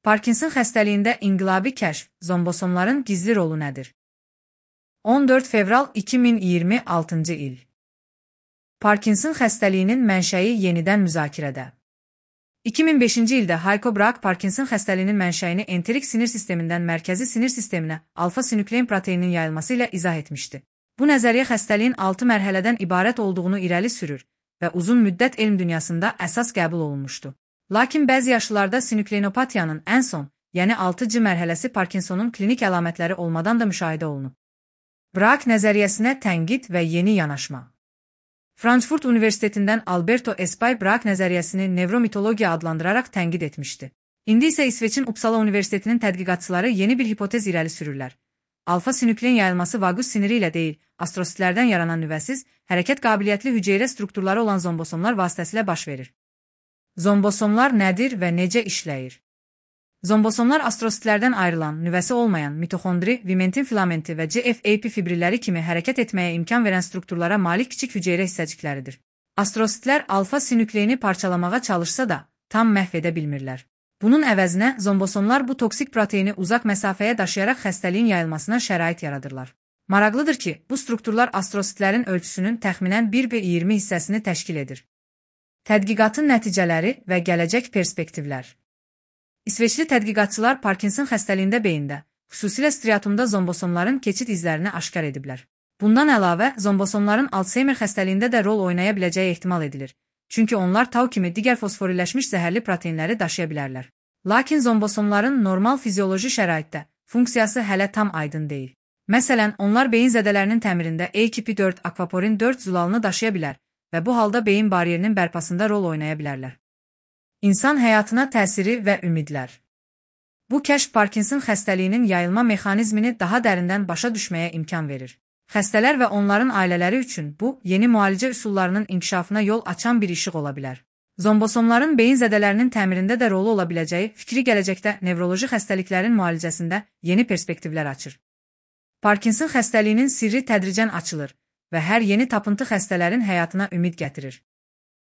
Parkinson xəstəliyində inqilabi kəşf, zombosomların gizli rolu nədir? 14 fevral 2026-cı il. Parkinson xəstəliyinin mənşəyi yenidən müzakirədə. 2005-ci ildə Heiko Braak Parkinson xəstəliyinin mənşəyini enterik sinir sistemindən mərkəzi sinir sisteminə alfa-sinüklein proteininin yayılması ilə izah etmişdi. Bu nəzəriyyə xəstəliyin 6 mərhələdən ibarət olduğunu irəli sürür və uzun müddət elm dünyasında əsas qəbul olunmuşdu. Lakin bəzi yaşlılarda sinükleinopatiyanın ən son, yəni 6C mərhələsi Parkinsonun klinik əlamətləri olmadan da müşahidə olunub. Braak nəzəriyyəsinə tənqid və yeni yanaşma. Frankfurt Universitetindən Alberto Espay Braak nəzəriyyəsini nevromitologiya adlandıraraq tənqid etmişdi. İndi isə İsveçin Uppsala Universitetinin tədqiqatçıları yeni bir hipotez irəli sürürlər. Alfa-sinüklein yayılması vagus siniri ilə deyil, astrositlərdən yaranan nüvəsiz, hərəkət qabiliyyətli hüceyrə strukturları olan zombosomlar vasitəsilə baş verir. Zombosomlar nədir və necə işləyir? Zombosomlar astrositlərdən ayrılan, nüvəsi olmayan, mitoxondri, vimentin filamenti və GFAP fibrilləri kimi hərəkət etməyə imkan verən strukturlara malik kiçik hüceyrə hissəcikləridir. Astrositlər alfa-sinükleini parçalamağa çalışsa da, tam məhv edə bilmirlər. Bunun əvəzinə zombosomlar bu toksik proteini uzaq məsafəyə daşıyaraq xəstəliyin yayılmasına şərait yaradırlar. Maraqlıdır ki, bu strukturlar astrositlərin ölçüsünün təxminən 1/20 hissəsini təşkil edir. Tədqiqatın nəticələri və gələcək perspektivlər. İsveçli tədqiqatçılar Parkinson xəstəliyində beyində, xüsusilə striatumda zombosomların keçid izlərini aşkar ediblər. Bundan əlavə, zombosomların Alzheimer xəstəliyində də rol oynaya biləcəyi ehtimal edilir. Çünki onlar tau kimi digər fosforilləşmiş zəhərli proteinləri daşıya bilərlər. Lakin zombosomların normal fizioloji şəraitdə funksiyası hələ tam aydın deyil. Məsələn, onlar beyin zədələrinin təmirində AKP4 akvaporin 4 zulalını daşıya bilər və bu halda beyin bariyerinin bərpasında rol oynaya bilərlər. İnsan həyatına təsiri və ümidlər. Bu kəşf Parkinson xəstəliyinin yayılma mexanizmini daha dərindən başa düşməyə imkan verir. Xəstələr və onların ailələri üçün bu, yeni müalicə üsullarının inkişafına yol açan bir işıq ola bilər. Zombosomların beyin zədələrinin təmirində də rolu ola biləcəyi fikri gələcəkdə nevroloji xəstəliklərin müalicəsində yeni perspektivlər açır. Parkinson xəstəliyinin sirri tədricən açılır və hər yeni tapıntı xəstələrin həyatına ümid gətirir.